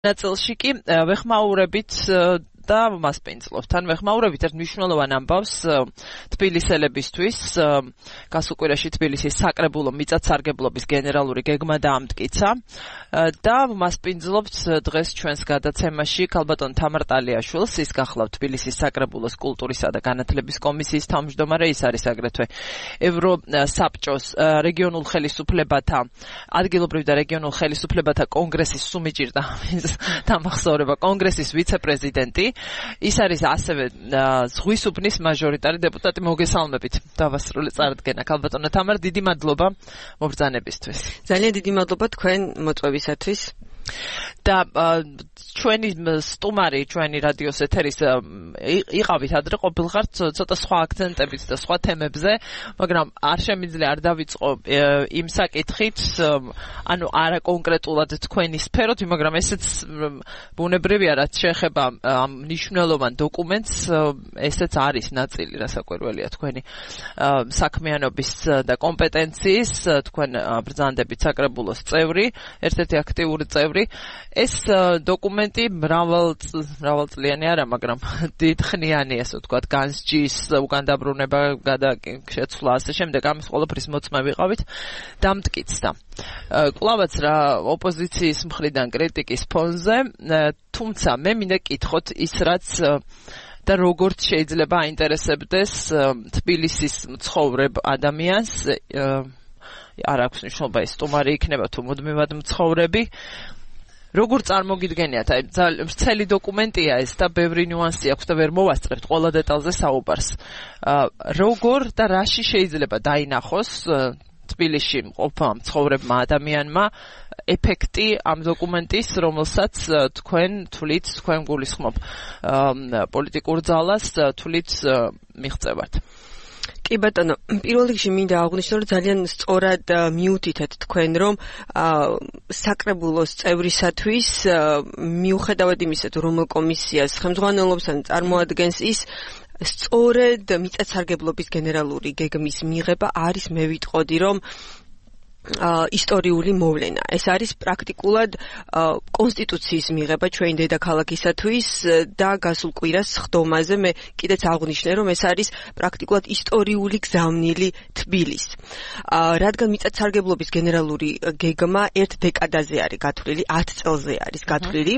ნაწილში კი ვეხმაურებით და მასპინძლობთ. ან ვეხმაურებით ერთ მნიშვნელოვან ამბავს თბილისელებისთვის გასულ კვირაში თბილისის საკრებულო მიწათსარგებლობის გენერალური გეგმა დაამტკიცა და მასპინძლობთ დღეს ჩვენს გადაცემაში ქალბატონ თამარ ტალიაშვილს, ის გახლავთ თბილისის საკრებულოს კულტურისა და განათლების კომისიის თავმჯდომარე, ის არის აგრეთვე ევროსაბჭოს რეგიონულ ხელისუფლებათა ადგილობრივ და რეგიონულ ხელისუფლებათა კონგრესის სუმიჭირდა დამახსოვრება კონგრესის ვიცე-პრეზიდენტი. ის არის ასევე ზღვის უბნის მაჟორიტარი დეპუტატი. მოგესალმებით. დავასრულე წარდგენა. ქალბატონო თამარ, დიდი მადლობა მობრძანებისთვის. ძალიან დიდი მადლობა თქვენ მოწვევისათვის. და ჩვენი სტუმარი, ჩვენი რადიოს ეთერის იყავით ადრე ყოფილხართ ცოტა სხვა აქცენტებით და სხვა თემებზე, მაგრამ არ შემიძლია არ დავიწყო იმ საკითხით, ანუ არა კონკრეტულად თქვენი სფეროთი, მაგრამ ესეც ბუნებრივია, რაც შეეხება ამ მნიშვნელოვან დოკუმენტს, ესეც არის ნაწილი, რასაკვირველია თქვენი საქმიანობის და კომპეტენციის, თქვენ ბრძანდებით საკრებულოს წევრი, ერთ-ერთი აქტიური წევრი. ეს დოკუმენტი მრავალწლიანი არა, მაგრამ დიდხნიანი, ასე ვთქვათ, განსჯის, უკან დაბრუნება, გადაშეცვლა, ასე შემდეგ, ამის ყველაფრის მოწმე ვიყავით, დამტკიცდა. კლავაც რა ოპოზიციის მხრიდან კრიტიკის ფონზე, თუმცა მე მინდა კითხოთ ის, რაც და როგორც შეიძლება აინტერესებდეს თბილისის მცხოვრებ ადამიანს, არ აქვს მნიშვნელობა ის სტუმარი იქნება თუ მუდმივად მცხოვრები. როგორ წარმოგიდგენიათ, აი ვრცელი დოკუმენტია ეს და ბევრი ნიუანსი აქვს და ვერ მოვასწრებთ ყველა დეტალზე საუბარს. როგორ და რაში შეიძლება დაინახოს თბილისში მყოფმა მცხოვრებმა ადამიანმა ეფექტი ამ დოკუმენტის, რომელსაც თქვენ თვლით, თქვენ გულისხმობ პოლიტიკურ ძალას თვლით მიღწევათ. კი ბატონო, პირველ რიგში მინდა აღვნიშნო, რომ ძალიან სწორად მიუთითეთ თქვენ, რომ საკრებულოს წევრისათვის მიუხედავად იმისა, რომ კომისიას ხელმძღვანელობს ან წარმოადგენს, ის სწორედ მიწათსარგებლობის გენერალური გეგმის მიღება არის, მე ვიტყოდი, რომ ისტორიული მოვლენა. ეს არის პრაქტიკულად კონსტიტუციის მიღება ჩვენი დედაქალაქისათვის და გასულ კვირას სხდომაზე მე კიდეც აღვნიშნე, რომ ეს არის პრაქტიკულად ისტორიული გზავნილი თბილის. რადგან მიწათსარგებლობის გენერალური გეგმა ერთ დეკადაზე არის გათვლილი, 10 წელზე არის გათვლილი.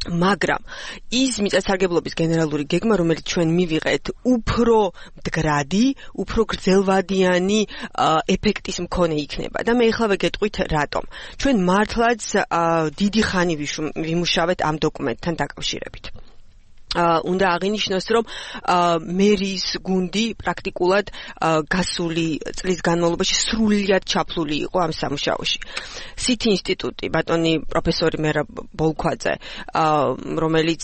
მაგრამ ის მიწათსარგებლობის გენერალური გეგმა, რომელიც ჩვენ მივიღეთ, უფრო მდგრადი, უფრო გრძელვადიანი ეფექტის მქონე იქნება. და მე ეხლა ვეგეტყვით რატომ. ჩვენ მართლაც დიდი ხანი ვიმუშავეთ ამ დოკუმენტთან დაკავშირებით. უნდა აღინიშნოს, რომ მერის გუნდი პრაქტიკულად გასული წლის განმავლობაში სრულიად ჩაფლული იყო ამ სამუშაოში. სითი ინსტიტუტი, ბატონი პროფესორი მერაბ ბოლქვაძე, რომელიც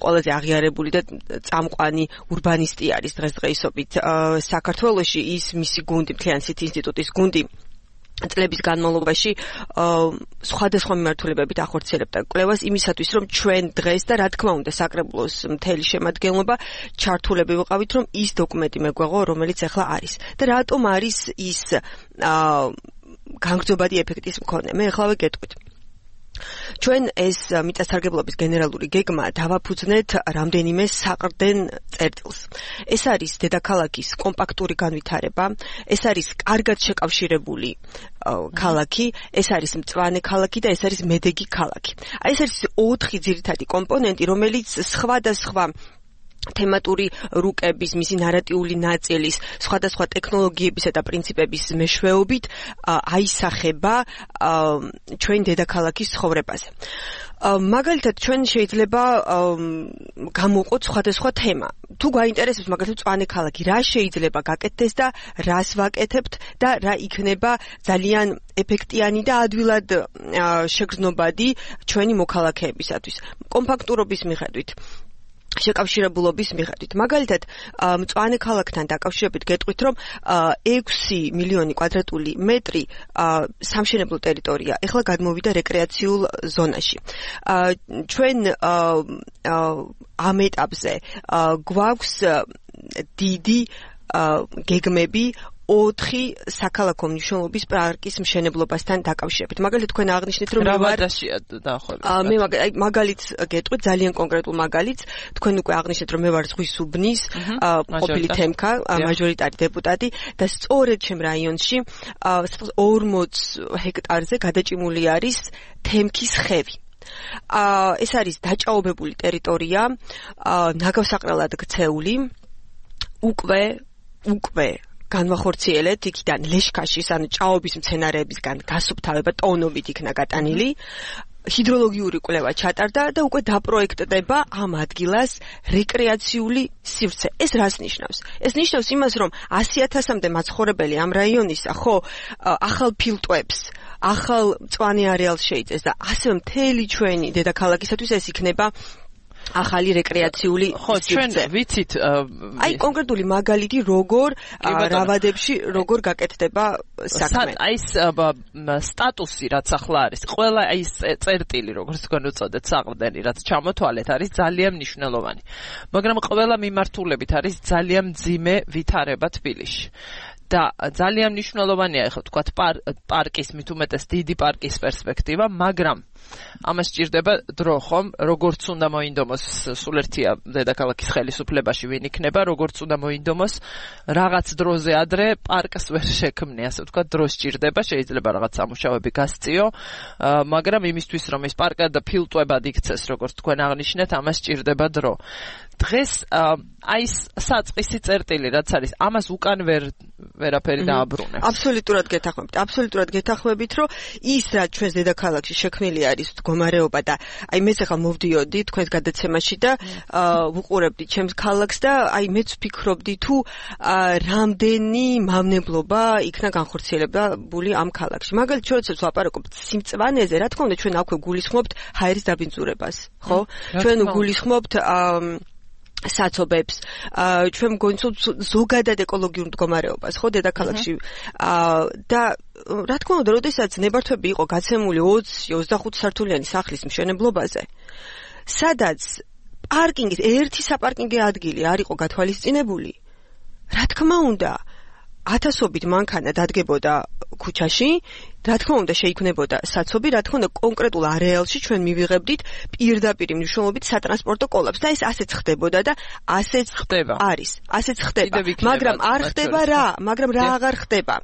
ყველაზე აღიარებული და წამყვანი ურბანისტი არის დღესდღეობით საქართველოში, ის მისი გუნდი, მთლიანი სითი ინსტიტუტის გუნდი წლების განმავლობაში სხვადასხვა მიმართულებებით ახორციელებდა კვლევას იმისათვის, რომ ჩვენ დღეს და რა თქმა უნდა საკრებულოს მთელი შემადგენლობა ჩართულები ვიყავით, რომ ის დოკუმენტი მეგვეღო, რომელიც ახლა არის. და რატომ არის ის განგრძობადი ეფექტის მქონე? მე ახლა ვეკეთვით. ჩვენ ეს მიწათსარგებლობის გენერალური გეგმა დავაფუძნეთ რამდენიმე საყრდენ წერტილს. ეს არის დედაქალაქის კომპაქტური განვითარება, ეს არის კარგად შეკავშირებული ქალაქი, ეს არის მწვანე ქალაქი და ეს არის მედეგი ქალაქი. ეს არის 4 ძირითადი კომპონენტი, რომელიც სხვადასხვა თემატური რუკების, მისი ნარატიული ნაწილის, სხვადასხვა ტექნოლოგიებისა და პრინციპების მეშვეობით აისახება ჩვენ დედაქალაქის ცხოვრებაზე. მაგალითად, ჩვენ შეიძლება გამოვყოთ სხვადასხვა თემა. თუ გაინტერესებს მაგალითად მწვანე ქალაქი, რა შეიძლება გაკეთდეს და რას ვაკეთებთ და რა იქნება ძალიან ეფექტიანი და ადვილად შეგრძნობადი ჩვენი მოქალაქეებისათვის. კომპაქტურობის მიხედვით. შეკავშირებულობის მიხედვით. მაგალითად, მწვანე ქალაქთან დაკავშირებით გეტყვით, რომ 6 მილიონი კვადრატული მეტრი სამშენებლო ტერიტორია ეხლა გადმოვიდა რეკრეაციულ ზონაში. ჩვენ ამ ეტაპზე გვაქვს დიდი გეგმები 4 საქალაქო მნიშვნელობის პარკის მშენებლობასთან დაკავშირებით. მაგალითად, თქვენ აღნიშნეთ, რომ რა ვადაშია დაახლოებით. მე მაგალითს გეტყვით, ძალიან კონკრეტულ მაგალითს. თქვენ უკვე აღნიშნეთ, რომ მე ვარ ზღვის უბნის ყოფილი თემქა, მაჟორიტარი დეპუტატი და სწორედ ჩემ რაიონში 40 ჰექტარზე გადაჭიმული არის თემქის ხევი. ეს არის დაჭაობებული ტერიტორია, ნაგავსაყრელად ქცეული, უკვე განვახორციელეთ იქიდან ლეშქაშის, ანუ ჭაობის მცენარეებისგან გასუფთავება ტონობით იქნა გატანილი. ჰიდროლოგიური კვლევა ჩატარდა და უკვე დაპროექტდება ამ ადგილას რეკრეაციული სივრცე. ეს რას ნიშნავს? ეს ნიშნავს იმას, რომ 100,000-მდე მაცხოვრებელი ამ რაიონისა, ხო, ახალ ფილტვებს, ახალ მწვანე არეალს შეიწეს და ასევე მთელი ჩვენი დედაქალაქისათვის ეს იქნება ახალი რეკრეაციული ჩვენ ვიცით აი კონკრეტული მაგალითი როგორ რავადებში როგორ გაკეთდება საქმე. აი ეს სტატუსი რაც ახლა არის, ყველა აი ეს წერტილი როგორც თქვენ უწოდეთ საყრდენი რაც ჩამოთვალეთ არის ძალიან მნიშვნელოვანი. მაგრამ ყველა მიმართულებით არის ძალიან მძიმე ვითარება თბილისში. და ძალიან მნიშვნელოვანია ახლა თქვა პარკის მით უმეტეს დიდი პარკის პერსპექტივა, მაგრამ ამას სჭირდება დრო ხომ, როგორც უნდა მოინდომოს სულ ერთია დედაქალაქის ხელისუფლებაში ვინ იქნება, როგორც უნდა მოინდომოს რაღაც დროზე ადრე პარკს ვერ შექმნი, ასე ვთქვა, დრო სჭირდება, შეიძლება რაღაც სამუშაოები გასწიო, მაგრამ იმისთვის რომ ეს პარკად და ფილტვებად იქცეს, როგორც თქვენ აღნიშნეთ, ამას სჭირდება დრო. დღეს აი ეს საწყისი წერტილი რაც არის, ამას უკან ვერაფერი დააბრუნებს. აბსოლუტურად გეთანხმებით, რომ ის რაც ჩვენს დედაქალაქში შექმნილი არის მდგომარეობა და აი მეც ახლა მოვდიოდი თქვენს გადაცემაში და ვუყურებდი ჩემს ქალაქს და აი მეც ვფიქრობდი თუ რამდენი მავნებლობა იქნა განხორციელებული ამ ქალაქში. მაგალითად, როდესაც ვაპარაკობთ სიმწვანეზე, რა თქმა უნდა, ჩვენ აქვე გულისხმობთ ჰაერის დაბინძურებას, ხო? ჩვენ გულისხმობთ საცობებს, ჩვენ გვგონიცოთ ზოგადად ეკოლოგიურ მდგომარეობას, ხო, დედაქალაქში. და რა თქმა უნდა, როდესაც ნებართვები იყო გაცემული 20-25 სართულიანი სახლის მშენებლობაზე, სადაც პარკინგის ერთი საპარკინგო ადგილი არ იყო გათვალისწინებული, რა თქმა უნდა, ათასობით მანქანა დადგებოდა ქუჩაში, რა თქმა უნდა შეიქმნებოდა საცობი, რა თქმა უნდა კონკრეტულ არეალში ჩვენ მივიღებდით პირდაპირ მნიშვნელობით სატრანსპორტო კოლაპსს და ეს ასეც ხდებოდა და ასეც ხდება. ასეც ხდება. მაგრამ არ ხდება რა, მაგრამ რა აღარ ხდება.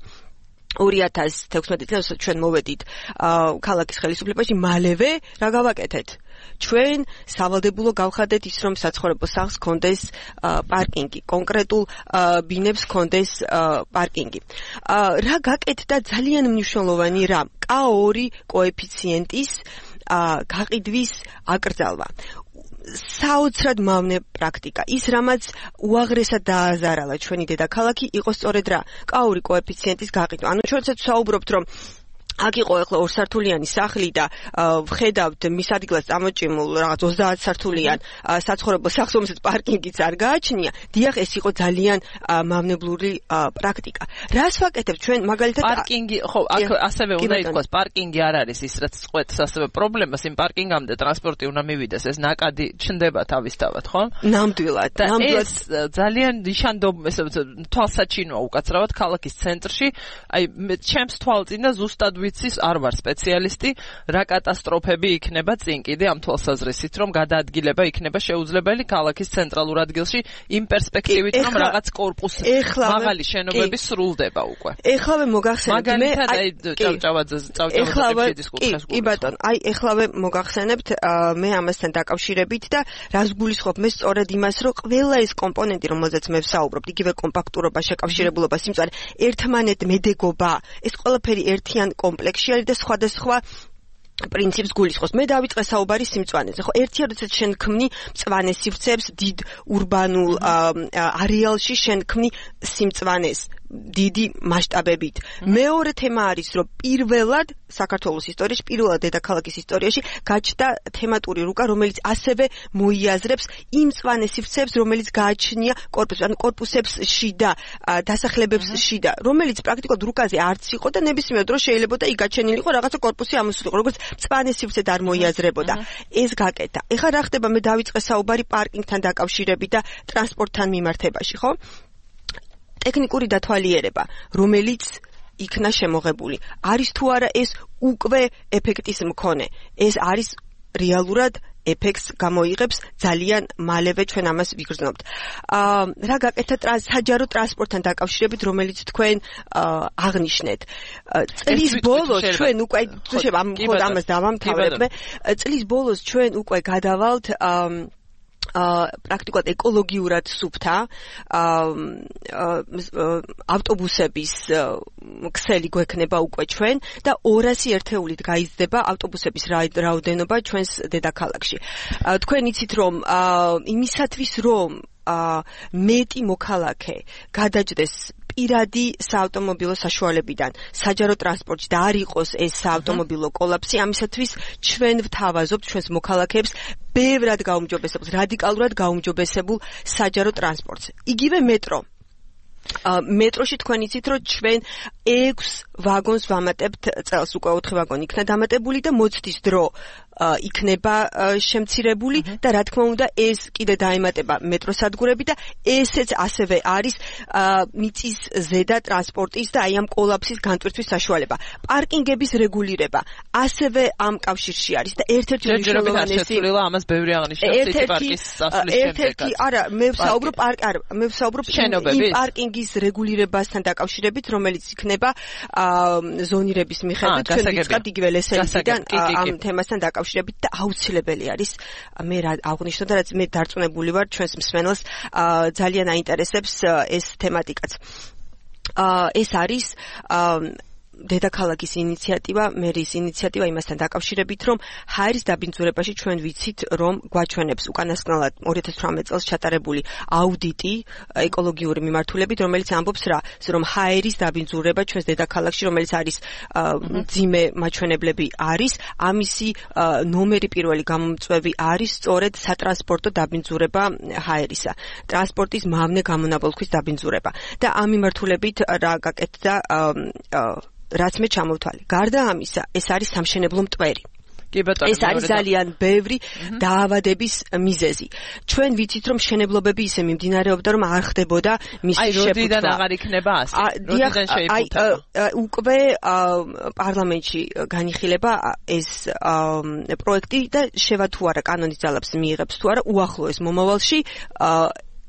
2016 წელს ჩვენ მოვედით ქალაქის ხელისუფლებაში, მალევე რა გავაკეთეთ? ჩვენ სავალდებულო გავხადეთ ის, რომ საცხოვრებელ სახლს ჰქონდეს პარკინგი, კონკრეტულ ბინებს ჰქონდეს პარკინგი. რა გაკეთდა ძალიან მნიშვნელოვანი რამ? K2 კოეფიციენტის გაყიდვის აკრძალვა. საოცრად მავნე პრაქტიკა. ის რამაც უაღრესად დააზარალა ჩვენი დედაქალაქი, იყო სწორედ რა? K2 კოეფიციენტის გაყიდვა. ანუ ჩვენც საუბრობთ, რომ აქ იყო ახლა 2 სართულიანი სახლი და ვხედავთ მის ადგილას წამოჭიმულ რაღაც 30 სართულიან საცხოვრებელ სახლს, რომელსაც პარკინგიც არ გააჩნია. დიახ, ეს იყო ძალიან მავნებლური პრაქტიკა. რას ვაკეთებთ ჩვენ მაგალითად პარკინგი, ხო, აქ ასევე უნდა ითქვას, პარკინგი არ არის ის რაც წყვეტს ასევე პრობლემას, იმ პარკინგამდე ტრანსპორტი უნდა მივიდეს, ეს ნაკადი ჩნდება თავისთავად, ხო? ნამდვილად. ეს ძალიან თვალსაჩინოა უკაცრავად ქალაქის ცენტრში. აი ჩემს თვალწინ და ზუსტად ვიცის არ ვარ სპეციალისტი, რა კატასტროფები იქნება წინ კიდე ამ თვალსაზრისით, რომ გადაადგილება იქნება შეუძლებელი ქალაქის ცენტრალურ ადგილში იმ პერსპექტივით, რომ რაღაც კორპუსი მაღალი შენობები სრულდება უკვე. ეხლავე მოგახსენებთ მე კი ბატონ, აი ეხლავე მოგახსენებთ მე ამასთან დაკავშირებით და რას გულისხმობ მე სწორედ იმას, რომ ყველა ეს კომპონენტი, რომელზეც მე ვსაუბრობ, იგივე კომპაქტურობა, შეკავშირებულობა, სიმწარე, ერთმანეთ მედეგობა, ეს ყველაფერი ერთიან კომპლექსში არის და სხვადასხვა პრინციპს გულისხმობს. მე დავიწყე საუბარი სიმწვანეზე. ხო, ერთია, როდესაც შენ ქმნი მწვანე სივრცეებს დიდ ურბანულ არეალში, შენ ქმნი სიმწვანეს დიდი მასშტაბებით. მეორე თემა არის, რომ პირველად საქართველოს ისტორიაში, პირველად დედაქალაქის ისტორიაში გაჩნდა თემატური რუკა, რომელიც ასევე მოიაზრებს იმ მწვანე სივრცეებს, რომელიც გააჩნია კორპუსს, ანუ კორპუსებს შიდა, დასახლებებს შიდა, რომელიც პრაქტიკულად რუკაზე არც იყო და ნებისმიერ დროს შეიძლება და იქ გაჩენილიყო რაღაცა კორპუსი ამოსულიყო, როგორც მწვანე სივრცე არ მოიაზრებოდა. ეს გაკეთა. ეხლა რა ხდება? მე დავიწყე საუბარი პარკინგთან დაკავშირებით და ტრანსპორტთან მიმართებაში, ხო? ტექნიკური დათვალიერება, რომელიც იქნა შემოღებული. არის თუ არა ეს უკვე ეფექტის მქონე. ეს არის რეალურად ეფექტს გამოიღებს ძალიან მალევე ჩვენ ამას ვიგრძნობთ. რა გაკეთეთ საჯარო ტრანსპორტთან დაკავშირებით, რომელიც თქვენ აღნიშნეთ. წლის ბოლოს ჩვენ უკვე ამას დავამთავრებთ. წლის ბოლოს ჩვენ უკვე გადავალთ პრაქტიკულად ეკოლოგიურად სუფთა ავტობუსების ქსელი გვექნება უკვე ჩვენ და 200 ერთეულით გაიზრდება ავტობუსების რაოდენობა ჩვენს დედაქალაქში. თქვენ იცით რომ იმისათვის რომ მეტი მოქალაქე გადაჯდეს პირადი საავტომობილო საშუალებიდან საჯარო ტრანსპორტში და არ იყოს ეს საავტომობილო კოლაფსი, ამისათვის ჩვენ ვთავაზობთ ჩვენს მოქალაქეებს ბევრად გაუმჯობესებულ, რადიკალურად გაუმჯობესებულ საჯარო ტრანსპორტს. იგივე მეტრო. მეტროში თქვენ იცით რომ ჩვენ 6 ვაგონს ვამატებთ წელს, უკვე 4 ვაგონი იქნა დამატებული და მოცდის დრო იქნება შემცირებული და რა თქმა უნდა ეს კიდე დაემატება მეტროსადგურები და ესეც ასევე არის მიწის ზედა ტრანსპორტის და აი ამ კოლაფსის განტვირთვის საშუალება. პარკინგების რეგულირება ასევე ამ კავშირში არის და ერთ-ერთი მნიშვნელოვანესი ამას ბევრი აღნიშნავს ციტი პარკის სასვლის შემდეგაც. არა, მე ვსაუბრობ იმ პარკინგის რეგულირებასთან დაკავშირებით, რომელიც იქნება ზონირების მიხედვით ჩვენ ვიწყებთ იგივე ლესელიდან ამ თემასთან დაკავშირებით და აუცილებელი არის მე რა აღვნიშნო და რაც მე დარწმუნებული ვარ ჩვენს მსმენელს ძალიან აინტერესებს ეს თემატიკაც. ეს არის დედაქალაქის ინიციატივა, მერის ინიციატივა იმასთან დაკავშირებით, რომ ჰაერის დაბინძურებაში ჩვენ ვიცით, რომ გვაჩვენებს უკანასკნელად 2018 წელს ჩატარებული აუდიტი ეკოლოგიური მიმართულებით, რომელიც ამბობს რომ ჰაერის დაბინძურება ჩვენს დედაქალაქში, რომელიც არის მძიმე მაჩვენებლები არის, ამისი ნომერი პირველი გამომწვევი არის სწორედ სატრანსპორტო დაბინძურება ჰაერისა, ტრანსპორტის მავნე გამონაბოლქვის დაბინძურება. და ამ მიმართულებით რა გაკეთდა რაც მე ჩამოვთვალე. გარდა ამისა, ეს არის სამშენებლო მტვერი. ეს არის ძალიან ბევრი დაავადების მიზეზი. ჩვენ ვიცით რომ მშენებლობები ისე მიმდინარეობდა რომ არ ხდებოდა მისი შეფუთვა. აი როდიდან აღარ იქნება ასე? როდიდან შეიფუთება? უკვე პარლამენტში განიხილება ეს პროექტი და შევა თუ არა კანონის ძალებს მიიღებს თუ არა უახლოეს მომავალში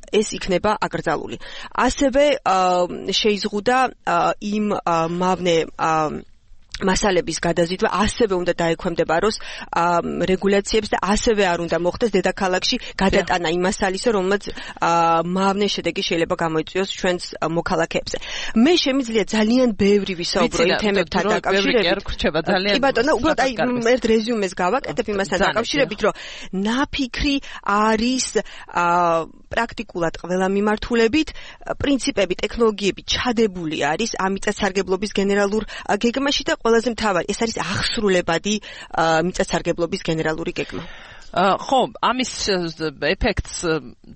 ეს იქნება აკრძალული. ასევე შეიზღუდა იმ მავნე მასალების გადაზიდვა ასევე უნდა დაექვემდებაროს რეგულაციებს და ასევე არ უნდა მოხდეს დედაქალაქში გადატანა იმ მასალისა, რომელმაც მავნე შედეგი შეიძლება გამოიწვიოს ჩვენს მოქალაქეებზე. მე შემიძლია ძალიან ბევრი ვისაუბრო იმ თემებთან დაკავშირებით. კი ბატონო, უბრალოდ აი ერთ რეზიუმეს გავაკეთებ იმასთან დაკავშირებით, რომ ნაფიქრი არის პრაქტიკულად ყველა მიმართულებით, პრინციპები, ტექნოლოგიები ჩადებული არის ამ მიწათსარგებლობის გენერალურ გეგმაში და ყველაზე მთავარი, ეს არის აღსრულებადი მიწათსარგებლობის გენერალური გეგმა. ხო, ამის ეფექტს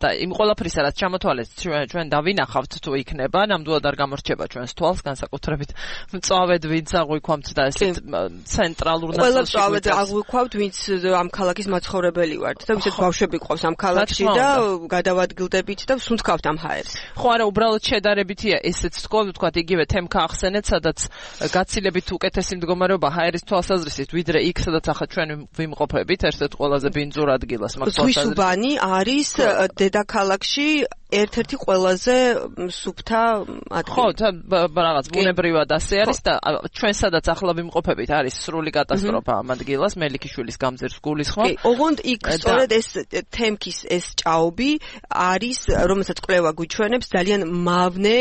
და იმ ყველაფრისა, რაც ჩამოთვალეს ჩვენ დავინახავთ თუ იქნება, ნამდვილად არ გამორჩება ჩვენს თვალს, განსაკუთრებით მწვავედ ვინც აღვიქვამთ და ესეთ ცენტრალურ ნაწილში. ყველა მწვავედ აღვიქვავთ, ვინც ამ ქალაქის მაცხოვრებელი ვართ და ვისაც ბავშვები ყავს ამ ქალაქში და გადავადგილდებით და ვსუნთქავთ ამ ჰაერს. ხო, არა, უბრალოდ შედარებითია ესეც თქვათ, იგივე თემქა ახსენეთ, სადაც გაცილებით უკეთესი მდგომარეობა ჰაერის თვალსაზრისით, ვიდრე იქ, სადაც ახლა ჩვენ ვიმყოფებით, ერთ-ერთ ყველაზე ბინძურ ადგილას მაგ თვალსაზრისით. ზღვისუბანი არის დედაქალაქში ერთ-ერთი ყველაზე სუფთა ადგილი. ხო, რაღაც ბუნებრივად ასე არის და ჩვენ სადაც ახლა ვიმყოფებით არის სრული კატასტროფა ამ ადგილას, მელიქიშვილის გამზირს გულისხმობ. ოღონდ იქ სწორედ ეს თემქის ეს ჭაობი არის, რომელსაც კვლევა გვიჩვენებს, ძალიან მავნე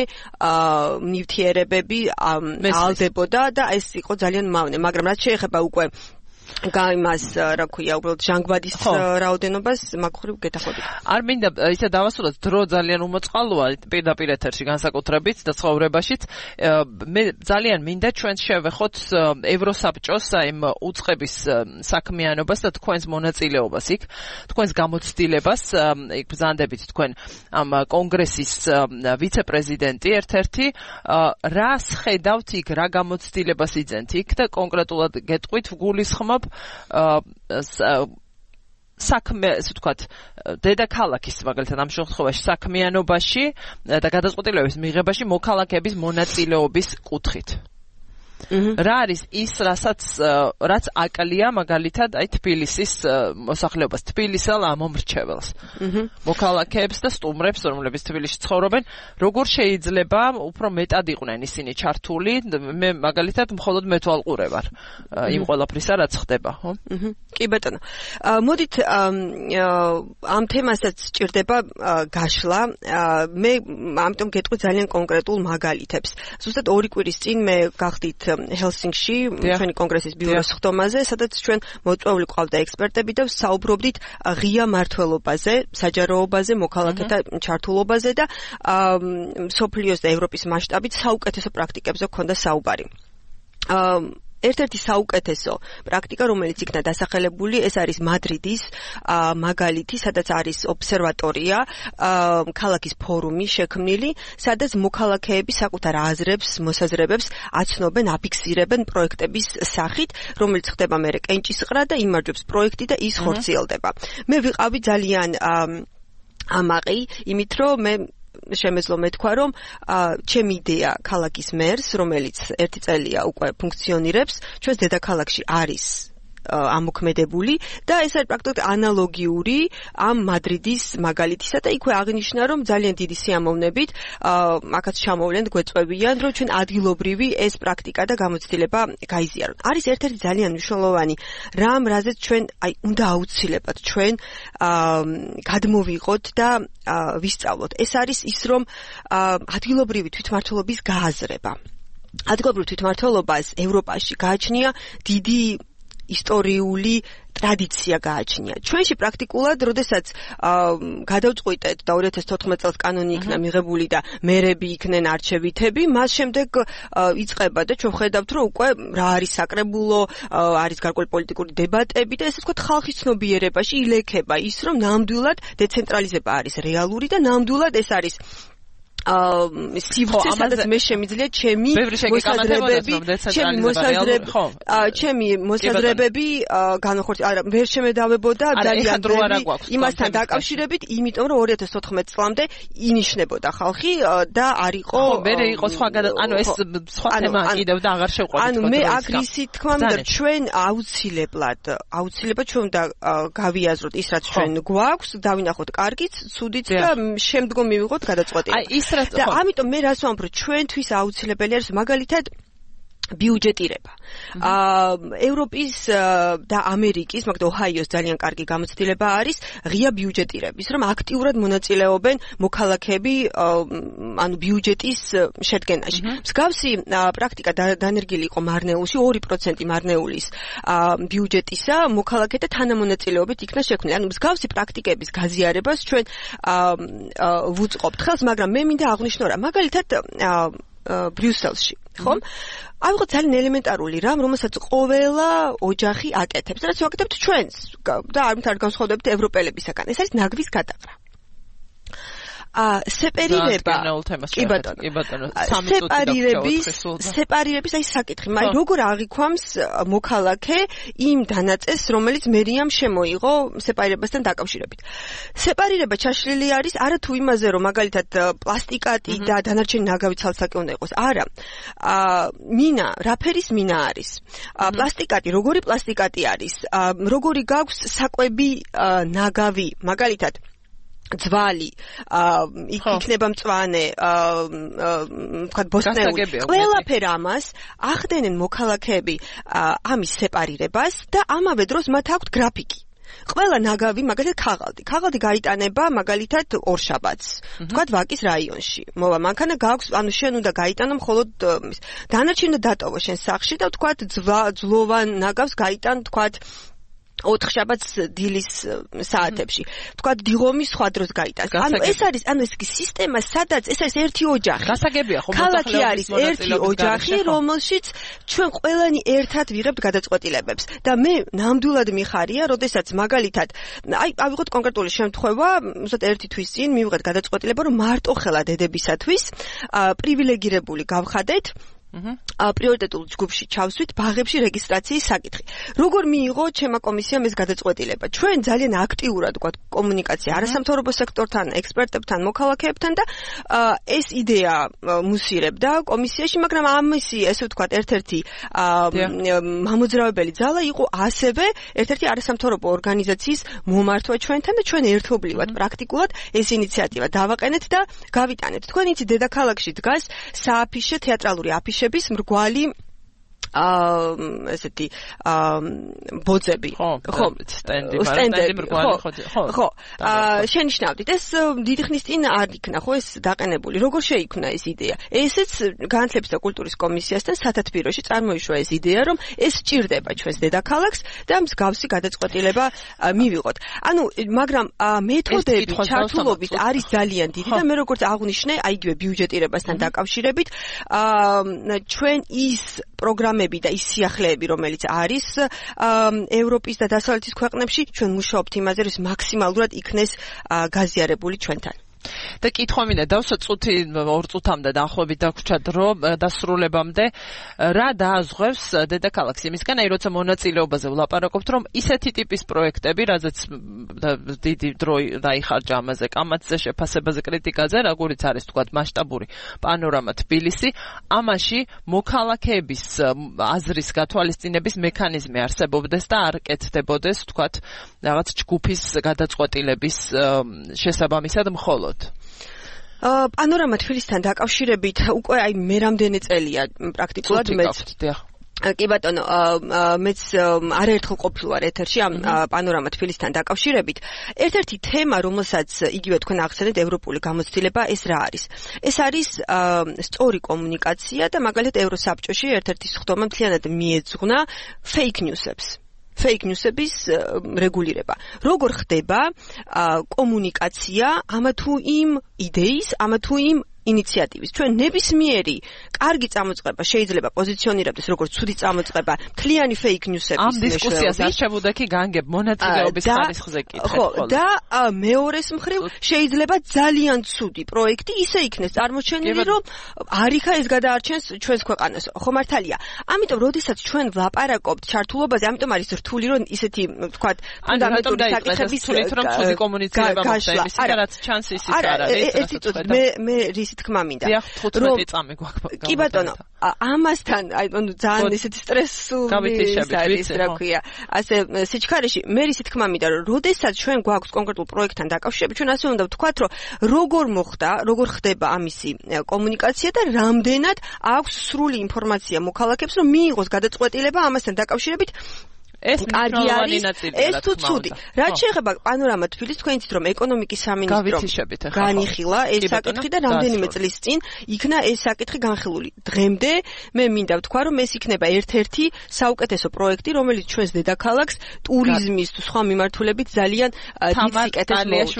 ნივთიერებები ალდებოდა და ეს იყო ძალიან მავნე, მაგრამ რაც შეეხება უკვე გამას რა ქვია უბრალოდ ჟანგბადის რაოდენობას მაგხრივ გეთახმებით. არ მინდა ისე დავასრულოთ, დრო ძალიან უმოწყალოა პირდაპირ ეთერში განსაკუთრებით და ცხოვრებაშიც. მე ძალიან მინდა ჩვენ შევეხოთ ევროსაბჭოს იმ უწყების საქმიანობას და თქვენს მონაწილეობას იქ, თქვენს გამოცდილებას, იქ ბრძანდებით თქვენ ამ კონგრესის ვიცე-პრეზიდენტი ერთ-ერთი, რას ხედავთ იქ, რა გამოცდილებას იძენთ იქ და კონკრეტულად გეტყვით, გულისხმობ საქმე, ესე ვთქვათ, დედაქალაქის მაგალითად ამ შემთხვევაში საქმიანობაში და გადაწყვეტილებების მიღებაში მოქალაქეების მონაწილეობის კუთხით. რა არის ის, რაც აკლია მაგალითად აი თბილისის მოსახლეობას, თბილისელ ამომრჩეველს. მოქალაქეებს და სტუმრებს, რომლებიც თბილისში ცხოვრობენ, როგორ შეიძლება უფრო მეტად იყვნენ ისინი ჩართული, მე მაგალითად მხოლოდ მეთვალყურე ვარ იმ ყველაფრისა, რაც ხდება, ხო? კი ბატონო. მოდით ამ თემასაც სჭირდება გაშლა. მე ამიტომ გეტყვი ძალიან კონკრეტულ მაგალითებს. ზუსტად 2 კვირის წინ მე გახდით ჰელსინკში ჩვენი კონგრესის ბიუროს ხდომაზე, სადაც ჩვენ მოწვეული ყავდა ექსპერტები და საუბრობდით ღია მმართველობაზე, საჯაროობაზე, მოქალაქეთა ჩართულობაზე და მსოფლიოს და ევროპის მასშტაბით საუკეთესო პრაქტიკებზე ჰქონდა საუბარი. ერთ-ერთი საუკეთესო პრაქტიკა, რომელიც იქნა დასახელებული, ეს არის მადრიდის მაგალითი, სადაც არის ობსერვატორია, ქალაქის ფორუმი შექმნილი, სადაც მოქალაქეები საკუთარ აზრებს, მოსაზრებებს აცნობენ, აფიქსირებენ პროექტების სახით, რომელიც ხდება მერე კენჭისყრა და იმარჯვებს პროექტი და ის ხორციელდება. მე ვიყავი ძალიან ამაყი, იმით რომ მე შემეძლო მეთქვა, რომ ჩემი იდეა ქალაქის მერს, რომელიც 1 წელია უკვე ფუნქციონირებს, ჩვენს დედაქალაქში არის ამოქმედებული და ეს არის პრაქტიკულად ანალოგიური ამ მადრიდის მაგალითისა და იქვე აღნიშნა, რომ ძალიან დიდი სიამოვნებით აქაც ჩამოვლენ, გვეწვევიან, რომ ჩვენ ადგილობრივი ეს პრაქტიკა და გამოცდილება გაიზიაროთ. არის ერთ-ერთი ძალიან მნიშვნელოვანი რამ, რაზეც ჩვენ უნდა აუცილებლად ჩვენ გადმოვიღოთ და ვისწავლოთ. ეს არის ის, რომ ადგილობრივი თვითმმართველობის გააზრება. ადგილობრივ თვითმმართველობას ევროპაში გააჩნია დიდი ისტორიული ტრადიცია გააჩნია. ჩვენში პრაქტიკულად, როდესაც გადავწყვიტეთ და 2014 წელს კანონი იქნა მიღებული და მერები იქნენ არჩევითები, მას შემდეგ იწყება და ჩვენ ხედავთ, რომ უკვე რა არის საკრებულო, არის გარკვეული პოლიტიკური დებატები და ესე ვთქვათ, ხალხის ცნობიერებაში ილექება ის, რომ ნამდვილად დეცენტრალიზება არის რეალური და ნამდვილად ეს არის სივრცე, სადაც მე შემიძლია ჩემი მოსაზრებები განახორციელო. არა, ვერ შემედავებოდა ძალიან იმასთან დაკავშირებით, იმიტომ რომ 2014 წლამდე ინიშნებოდა ხალხი და არ იყო მე იყო სხვა ანუ ეს სხვა თემა კიდევ და აღარ შევყვებით. ანუ მე აქ ისი თქვა, რომ ჩვენ აუცილებლად ჩვენ უნდა გავიაზროთ ის, რაც ჩვენ გვაქვს, დავინახოთ კარგიც, ცუდიც და შემდგომ მივიღოთ გადაწყვეტილება. და ამიტომ მე რას ვამბობ, რომ ჩვენთვის აუცილებელი არის მაგალითად ბიუჯეტირება. ევროპის და ამერიკის, მაგალითად ოჰაიოს ძალიან კარგი გამოცდილება არის ღია ბიუჯეტირების, რომ აქტიურად მონაწილეობენ მოქალაქეები ანუ ბიუჯეტის შედგენაში. მსგავსი პრაქტიკა დანერგილი იყო მარნეულში, 2% მარნეულის ბიუჯეტისა მოქალაქეთა თანამონაწილეობით იქნა შექმნილი. ანუ მსგავსი პრაქტიკების გაზიარებას ჩვენ ვუწყობთ ხელს, მაგრამ მე მინდა აღვნიშნო რა, მაგალითად ბრიუსელში, ხო? ავიღოთ ძალიან ელემენტარული რამ, რომელსაც ყოველა ოჯახი აკეთებს. რაც ვაკეთებთ ჩვენს და არ განსხვავდებით ევროპელებისაგან. ეს არის ნაგვის გადაყრა. სეპარირება. კი ბატონო. სეპარირების აი საკითხი. მაგრამ როგორ აღიქვამს მოქალაქე იმ დანაწესს, რომელიც მერიამ შემოიღო სეპარირებასთან დაკავშირებით. სეპარირება ჩაშლილი არის არა თუ იმაზე, რომ მაგალითად პლასტიკატი და დანარჩენი ნაგავი ცალსაკე უნდა იყოს. არა. მინა, რა ფერის მინა არის? პლასტიკატი, როგორი პლასტიკატი არის? როგორი გაქვს საკვები ნაგავი, მაგალითად ძვალი, იქნება მწვანე, ვთქვათ, ბოსტნეული. ყველაფერ ამას ახდენენ მოქალაქეები ამის სეპარირებას და ამავე დროს მათ აქვთ გრაფიკი. ყველა ნაგავი, მაგალითად ქაღალდი. ქაღალდი გაიტანება მაგალითად ორშაბათს. ვთქვათ, ვაკის რაიონში. მოვა მანქანა გაქვს, ანუ შენ უნდა გაიტანო მხოლოდ დანარჩენი უნდა დატოვო შენ სახლში და ვთქვათ, ძლოვან ნაგავს გაიტან, ვთქვათ, 4 შაბათს დილის საათებში. ვთქვათ, დიღომი სხვა დროს გაიტანს. ანუ ეს არის, ანუ ეს სისტემა, სადაც ეს არის ერთი ოჯახი. გასაგებია ხო, ქალაქი არის ერთი ოჯახი, რომელშიც ჩვენ ყველანი ერთად ვიღებთ გადაწყვეტილებებს. და მე ნამდვილად მიხარია, როდესაც მაგალითად, ავიღოთ კონკრეტული შემთხვევა, უბრალოდ ერთი თვის წინ მივიღეთ გადაწყვეტილება, რომ მარტო ხელა დედებისათვის პრივილეგირებული გავხადეთ პრიორიტეტულ ჯგუფში ჩავსვით ბაღებში რეგისტრაციის საკითხი. როგორ მიიღო ჩემმა კომისიამ ეს გადაწყვეტილება? ჩვენ ძალიან აქტიურად ვთქვათ კომუნიკაცია არასამთავრობო სექტორთან, ექსპერტებთან, მოქალაქეებთან და ეს იდეა მუსირებდა კომისიაში, მაგრამ ამისი ესე ვთქვათ ერთ-ერთი მამოძრავებელი ძალა იყო ასევე ერთ-ერთი არასამთავრობო ორგანიზაციის მომართვა ჩვენთან და ჩვენ ერთობლივად პრაქტიკულად ეს ინიციატივა დავაყენეთ და გავიტანეთ. თქვენ იცით დედაქალაქში დგას სააფიშე თეატრალური აფიშების მრგვალი ესეთი ბოძები ხო სტენდები მრგვალი ხო შენიშნავდით ეს დიდი ხნის წინ არ იქნა ხო ეს დაყენებული როგორ შეიქმნა ეს იდეა ესეც განათლების და კულტურის კომისიასთან სათათბიროში წარმოიშვა ეს იდეა რომ ეს სჭირდება ჩვენს დედაქალაქს და მსგავსი გადაწყვეტილება მივიღოთ ანუ მაგრამ მეთოდები ჩართულობით არის ძალიან დიდი და მე როგორც აღვნიშნე აი იგივე ბიუჯეტირებასთან დაკავშირებით ჩვენ ის პროგრამები და ის სიახლეები, რომელიც არის ევროპის და დასავლეთის ქვეყნებში, ჩვენ მუშაობთ იმაზე, რომ მაქსიმალურად იქნეს გაზიარებული ჩვენთან. და კითხვა მინდა დავსვათ წუთი 2 წუთამდე დაახლოებით დაგვრჩა დრო დასრულებამდე რა დააზღვევს დედაქალაქს იმისგან აი როცა მონაწილეობაზე ვლაპარაკობთ რომ ისეთი ტიპის პროექტები რაზეც დიდი დრო დაიხარჯა ამაზე კამათზე შეფასებაზე კრიტიკაზე როგორიც არის თქვათ მასშტაბური პანორამა თბილისი ამაში მოქალაქეების აზრის გათვალისწინების მექანიზმი არსებობდეს და არ კეთდებოდეს თქვათ რაღაც ჯგუფის გადაწყვეტილების შესაბამისად მხოლოდ პანორამა თბილისთან დაკავშირებით უკვე აი მე რამდენი წელია პრაქტიკულად მეც კი ბატონო მეც არაერთხელ ყოფილვარ ეთერში ამ პანორამა თბილისთან დაკავშირებით ერთ-ერთი თემა რომელსაც იგივე თქვენ ახსენეთ ევროპული გამოცდილება ეს რა არის ეს არის სწორი კომუნიკაცია და მაგალითად ევროსაბჭოში ერთ-ერთი სხდომა მთლიანად მიეძღვნა fake news-ების რეგულირება. როგორ ხდება კომუნიკაცია ამა თუ იმ იდეის, ამა თუ იმ ინიციატივის. ჩვენ ნებისმიერი კარგი წამოწყება შეიძლება პოზიციონირებდეს როგორც ცუდი წამოწყება, მთლიანი fake news-ების ამ დისკუსიას არ შევუდექი განგებ მონაწილეობის ხარისხზე კითხეთ. ხო, და მეორეს მხრივ შეიძლება ძალიან ცუდი პროექტი ისე იქნეს წარმოჩენილი, რომ არიქა ეს გადაარჩენს ჩვენს ქვეყანას. ხო მართალია. ამიტომ, როდესაც ჩვენ ვლაპარაკობთ ჩართულობაზე, ამიტომ არის რთული, რომ ისეთი, ვთქვათ, ფუნდამენტური საკითხების რთულით რომ ცუდი კომუნიცირება მოხდა იმის, რაც ჩანს ისიც არ არის. მე რისი თქმა მინდა რომ 15 წამი გვაქვს კი ბატონო ამასთან აი ძალიან ესეთი სტრესული არის რა ქვია ასე სიჩქარეში მე რისი თქმა მინდა რომ როდესაც ჩვენ გვაქვს კონკრეტულ პროექტთან დაკავშირებით ჩვენ ასე უნდა ვთქვათ რომ როგორ მოხდა როგორ ხდება ამისი კომუნიკაცია და რამდენად აქვს სრული ინფორმაცია მოქალაქეებს რომ მიიღოს გადაწყვეტილება ამასთან დაკავშირებით ეს კარგი არის ეს თუ ცუდი რაც შეეხება პანორამა თბილისს თქვენ იცით რომ ეკონომიკის სამინისტრომ განიხილა ეს საკითხი და რამდენიმე წლის წინ იქნა ეს საკითხი განხილული დღემდე მე მინდა ვთქვა რომ ეს იქნება ერთ-ერთი საუკეთესო პროექტი რომელიც ჩვენს დედაქალაქს ტურიზმის თუ სხვა მიმართულებით ძალიან დიდ სიკეთეს მოუწევს